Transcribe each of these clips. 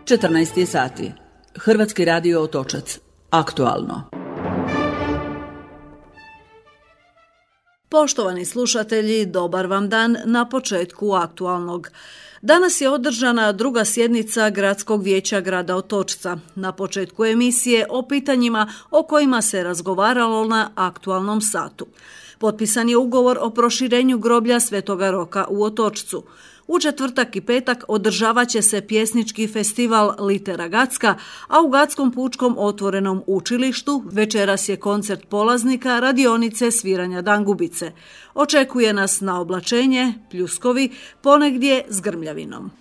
14 sati. Hrvatski radio Otočac. Aktualno. Poštovani slušatelji, dobar vam dan na početku aktualnog. Danas je održana druga sjednica Gradskog vijeća grada Otočca. Na početku emisije o pitanjima o kojima se razgovaralo na aktualnom satu. Potpisan je ugovor o proširenju groblja Svetoga Roka u Otočcu. U četvrtak i petak održavat će se pjesnički festival Litera Gacka, a u Gatskom pučkom otvorenom učilištu večeras je koncert polaznika radionice sviranja dangubice. Očekuje nas na oblačenje, pljuskovi, ponegdje s grmljavinom.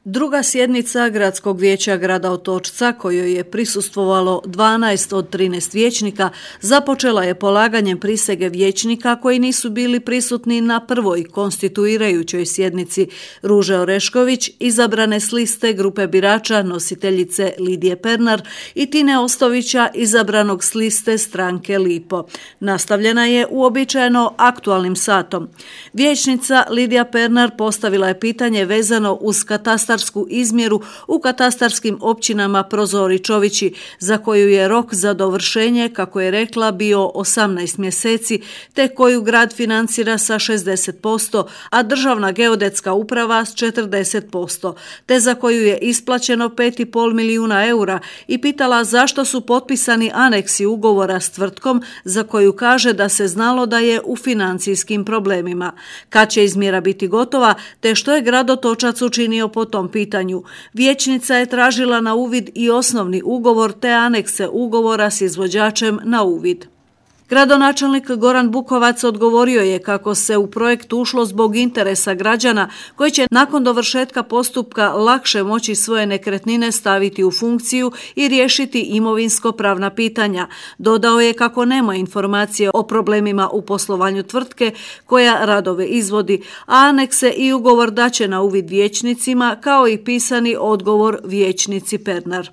Druga sjednica Gradskog vijeća grada Otočca, kojoj je prisustvovalo 12 od 13 vijećnika, započela je polaganjem prisege vijećnika koji nisu bili prisutni na prvoj konstituirajućoj sjednici. Ruže Orešković, izabrane s liste grupe birača nositeljice Lidije Pernar, i Tine Ostovića, izabranog s liste stranke Lipo. Nastavljena je uobičajeno aktualnim satom. Vijećnica Lidija Pernar postavila je pitanje vezano uz katastarsku izmjeru u katastarskim općinama Prozor i Čovići, za koju je rok za dovršenje, kako je rekla, bio 18 mjeseci, te koju grad financira sa 60%, a Državna geodetska uprava s 40%, te za koju je isplaćeno 5,5 milijuna eura, i pitala zašto su potpisani aneksi ugovora s tvrtkom za koju kaže da se znalo da je u financijskim problemima. Kad će izmjera biti gotova, te što je grad Otočac učinio po tom pitanju. Vijećnica je tražila na uvid i osnovni ugovor te anekse ugovora s izvođačem na uvid. Gradonačelnik Goran Bukovac odgovorio je kako se u projekt ušlo zbog interesa građana koji će nakon dovršetka postupka lakše moći svoje nekretnine staviti u funkciju i riješiti imovinsko-pravna pitanja. Dodao je kako nema informacije o problemima u poslovanju tvrtke koja radove izvodi, a anekse i ugovor daće na uvid vijećnicima, kao i pisani odgovor vijećnici Pernar.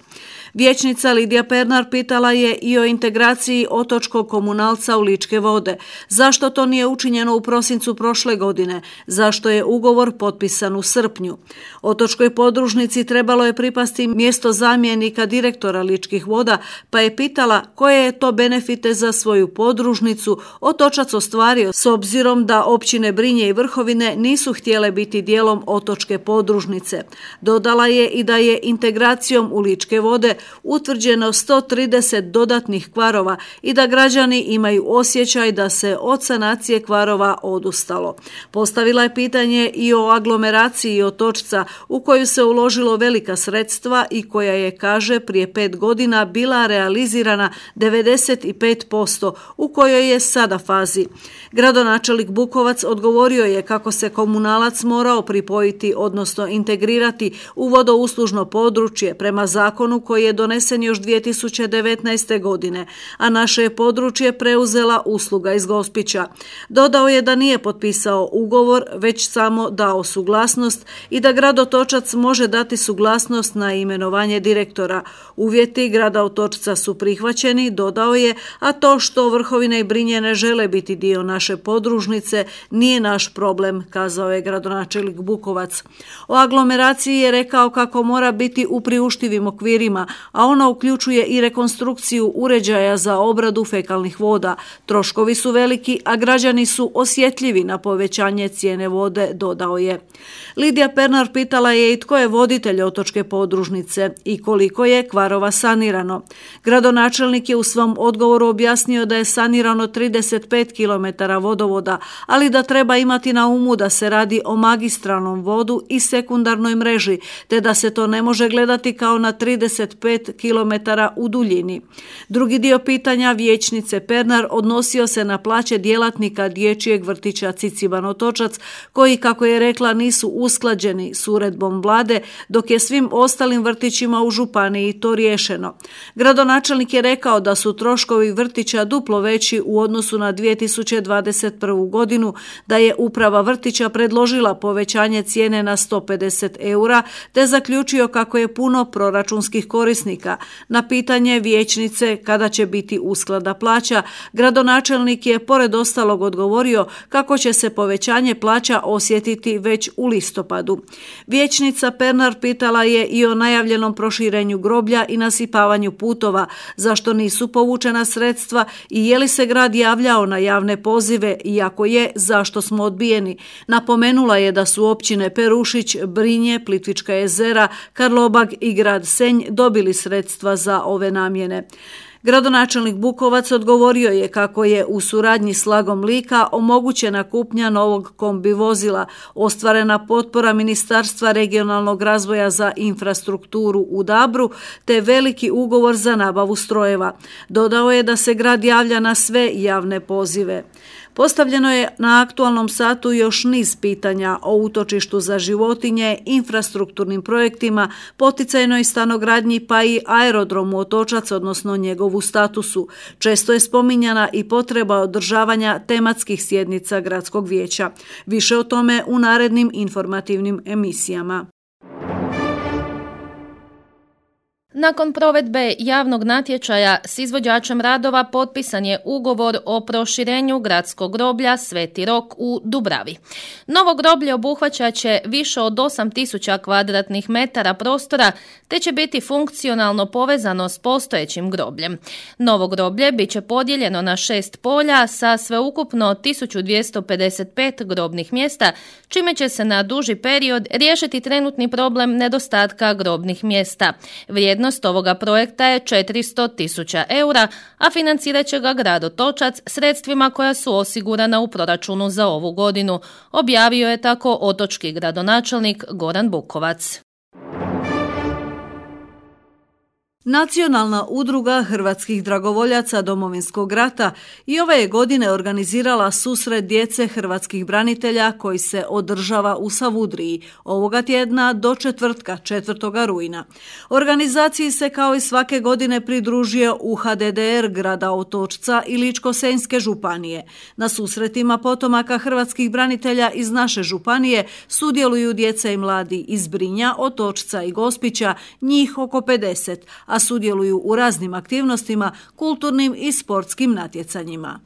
Vijećnica Lidija Pernar pitala je i o integraciji otočkog komunalca u Ličke vode. Zašto to nije učinjeno u prosincu prošle godine? Zašto je ugovor potpisan u srpnju? Otočkoj podružnici trebalo je pripasti mjesto zamjenika direktora Ličkih voda, pa je pitala koje je to benefite za svoju podružnicu Otočac ostvario s obzirom da općine Brinje i Vrhovine nisu htjele biti dijelom otočke podružnice. Dodala je i da je integracijom u Ličke vode utvrđeno 130 dodatnih kvarova i da građani imaju osjećaj da se od sanacije kvarova odustalo. Postavila je pitanje i o aglomeraciji Otočca, u koju se uložilo velika sredstva i koja je, kaže, prije 5 godina bila realizirana 95%, u kojoj je sada fazi. Gradonačelnik Bukovac odgovorio je kako se komunalac morao pripojiti, odnosno integrirati u vodouslužno područje prema zakonu koji je donesen još 2019. godine, a naše je područje preuzela usluga iz Gospića. Dodao je da nije potpisao ugovor, već samo dao suglasnost i da grad Otočac može dati suglasnost na imenovanje direktora. Uvjeti grada Otočca su prihvaćeni, dodao je, a to što Vrhovine i Brinje ne žele biti dio naše podružnice nije naš problem, kazao je gradonačelnik Bukovac. O aglomeraciji je rekao kako mora biti u priuštivim okvirima, a ona uključuje i rekonstrukciju uređaja za obradu fekalnih voda. Troškovi su veliki, a građani su osjetljivi na povećanje cijene vode, dodao je. Lidija Pernar pitala je i tko je voditelj otočke podružnice i koliko je kvarova sanirano. Gradonačelnik je u svom odgovoru objasnio da je sanirano 35 km vodovoda, ali da treba imati na umu da se radi o magistralnom vodu i sekundarnoj mreži, te da se to ne može gledati kao na 35 km u duljini. Drugi dio pitanja vijećnice Pernar odnosio se na plaće djelatnika dječjeg vrtića Ciciban Otočac, koji, kako je rekla, nisu usklađeni s uredbom vlade, dok je svim ostalim vrtićima u županiji to riješeno. Gradonačelnik je rekao da su troškovi vrtića duplo veći u odnosu na 2021. godinu, da je uprava vrtića predložila povećanje cijene na 150 eura, te zaključio kako je puno proračunskih korisnika pjesnika. Na pitanje vijećnice kada će biti usklada plaća, gradonačelnik je pored ostalog odgovorio kako će se povećanje plaća osjetiti već u listopadu. Vijećnica Pernar pitala je i o najavljenom proširenju groblja i nasipavanju putova, zašto nisu povučena sredstva i je li se grad javljao na javne pozive i ako je, zašto smo odbijeni. Napomenula je da su općine Perušić, Brinje, Plitvička jezera, Karlobag i grad Senj dobili sredstva za ove namjene. Gradonačelnik Bukovac odgovorio je kako je u suradnji s Lagom Lika omogućena kupnja novog kombi vozila, ostvarena potpora Ministarstva regionalnog razvoja za infrastrukturu u Dabru, te veliki ugovor za nabavu strojeva. Dodao je da se grad javlja na sve javne pozive. Postavljeno je na aktualnom satu još niz pitanja o utočištu za životinje, infrastrukturnim projektima, poticajnoj stanogradnji pa i aerodromu Otočac, odnosno njegovu statusu. Često je spominjana i potreba održavanja tematskih sjednica gradskog vijeća. Više o tome u narednim informativnim emisijama. Nakon provedbe javnog natječaja s izvođačem radova potpisan je ugovor o proširenju gradskog groblja Sveti Rok u Dubravi. Novo groblje obuhvaćat će više od 8000 kvadratnih metara prostora te će biti funkcionalno povezano s postojećim grobljem. Novo groblje bit će podijeljeno na 6 polja sa sveukupno 1255 grobnih mjesta, čime će se na duži period riješiti trenutni problem nedostatka grobnih mjesta. Vrijednost ovoga projekta je 400.000 eura, a financirat će ga grad Otočac sredstvima koja su osigurana u proračunu za ovu godinu, objavio je tako otočki gradonačelnik Goran Bukovac. Nacionalna udruga hrvatskih dragovoljaca Domovinskog rata i ove je godine organizirala susret djece hrvatskih branitelja koji se održava u Savudriji ovoga tjedna do četvrtka 4. rujna. Organizaciji se kao i svake godine pridružio UHDDR grada Otočca i Ličko-senjske županije. Na susretima potomaka hrvatskih branitelja iz naše županije sudjeluju djeca i mladi iz Brinja, Otočca i Gospića, njih oko 50, a sudjeluju u raznim aktivnostima, kulturnim i sportskim natjecanjima.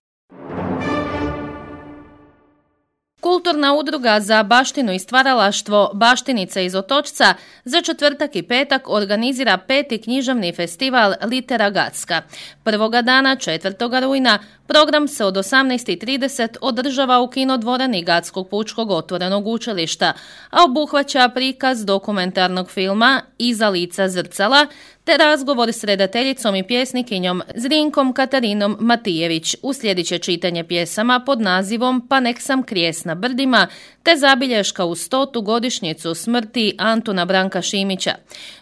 Kulturna udruga za baštinu i stvaralaštvo Baštinice iz Otočca za četvrtak i petak organizira 5. književni festival Litera Gacka. Prvoga dana 4. rujna program se od 18:30 održava u kinodvorani Gatskog pučkog otvorenog učilišta, a obuhvaća prikaz dokumentarnog filma Iza lica zrcala te razgovor s redateljicom i pjesnikinjom Zrinkom Katarinom Matijević. Uslijedit će čitanje pjesama pod nazivom Pa nek sam krijes na brdima te zabilješka u 100. godišnjicu smrti Antuna Branka Šimića.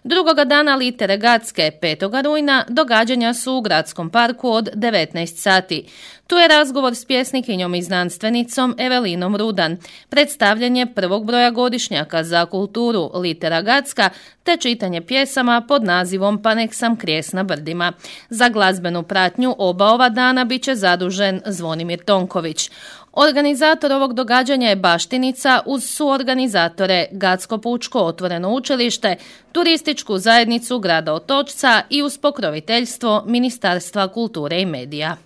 Drugoga dana Litere Gacke 5. rujna događanja su u Gradskom parku od 19 sati. Tu je razgovor s pjesnikinjom i znanstvenicom Evelinom Rudan, predstavljanje prvog broja godišnjaka za kulturu Litera Gacka te čitanje pjesama pod nazivom Pa nek sam krijes na brdima. Za glazbenu pratnju oba ova dana bit će zadužen Zvonimir Tonković. Organizator ovog događanja je Baštica uz suorganizatore Gatsko pučko otvoreno učilište, turističku zajednicu grada Otočca i uz pokroviteljstvo Ministarstva kulture i medija.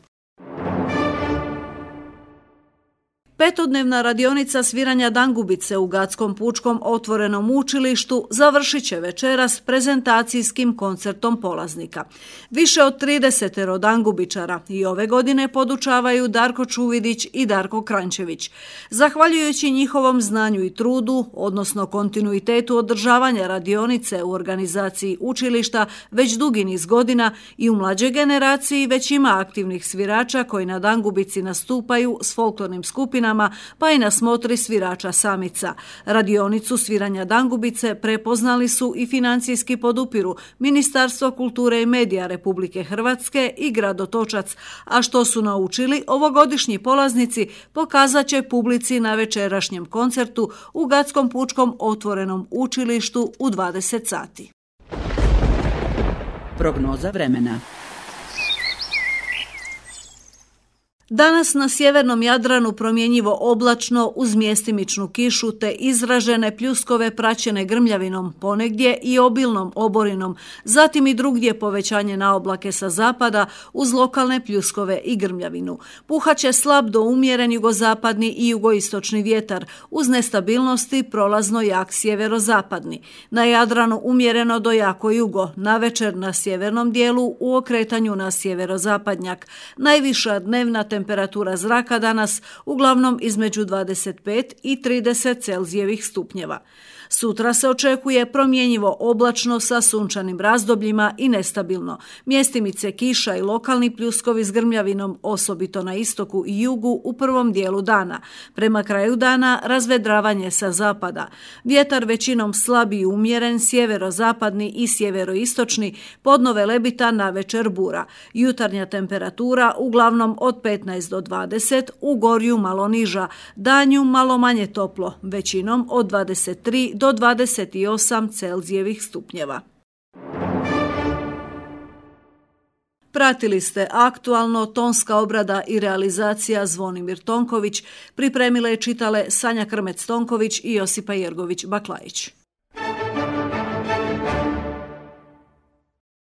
Petodnevna radionica sviranja dangubice u Gatskom pučkom otvorenom učilištu završit će večeras prezentacijskim koncertom polaznika. Više od 30 dangubičara i ove godine podučavaju Darko Čuvidić i Darko Krančević. Zahvaljujući njihovom znanju i trudu, odnosno kontinuitetu održavanja radionice u organizaciji učilišta već dugi niz godina i u mlađoj generaciji već ima aktivnih svirača koji na dangubici nastupaju s folklornim skupinama pa i na smotri svirača samica. Radionicu sviranja dangubice prepoznali su i financijski podupiru Ministarstvo kulture i medija Republike Hrvatske i grad Otočac, a što su naučili ovogodišnji polaznici pokazat će publici na večerašnjem koncertu u Gatskom pučkom otvorenom učilištu u 20 sati. Prognoza vremena. Danas na sjevernom Jadranu promjenjivo oblačno uz mjestimičnu kišu te izražene pljuskove praćene grmljavinom, ponegdje i obilnom oborinom, zatim i drugdje povećanje na oblake sa zapada uz lokalne pljuskove i grmljavinu. Puhaće slab do umjeren jugozapadni i jugoistočni vjetar uz nestabilnosti prolazno jak sjeverozapadni. Na Jadranu umjereno do jako jugo, navečer na sjevernom dijelu u okretanju na sjeverozapadnjak. Najviša dnevna temperatura zraka danas uglavnom između 25 i 30 Celzijevih stupnjeva. Sutra se očekuje promjenjivo oblačno sa sunčanim razdobljima i nestabilno. Mjestimice kiša i lokalni pljuskovi s grmljavinom, osobito na istoku i jugu u prvom dijelu dana. Prema kraju dana razvedravanje sa zapada. Vjetar većinom slab i umjeren, sjeverozapadni i sjeveroistočni, podno velebita, navečer bura. Jutarnja temperatura uglavnom od 15 do 20, u gorju malo niža, danju malo manje toplo, većinom od 23 do 28 Celzijevih stupnjeva. Pratili ste aktualno, tonska obrada i realizacija Zvonimir Tonković, pripremile i čitale Sanja Krmec-Tonković i Josipa Jergović-Baklajić.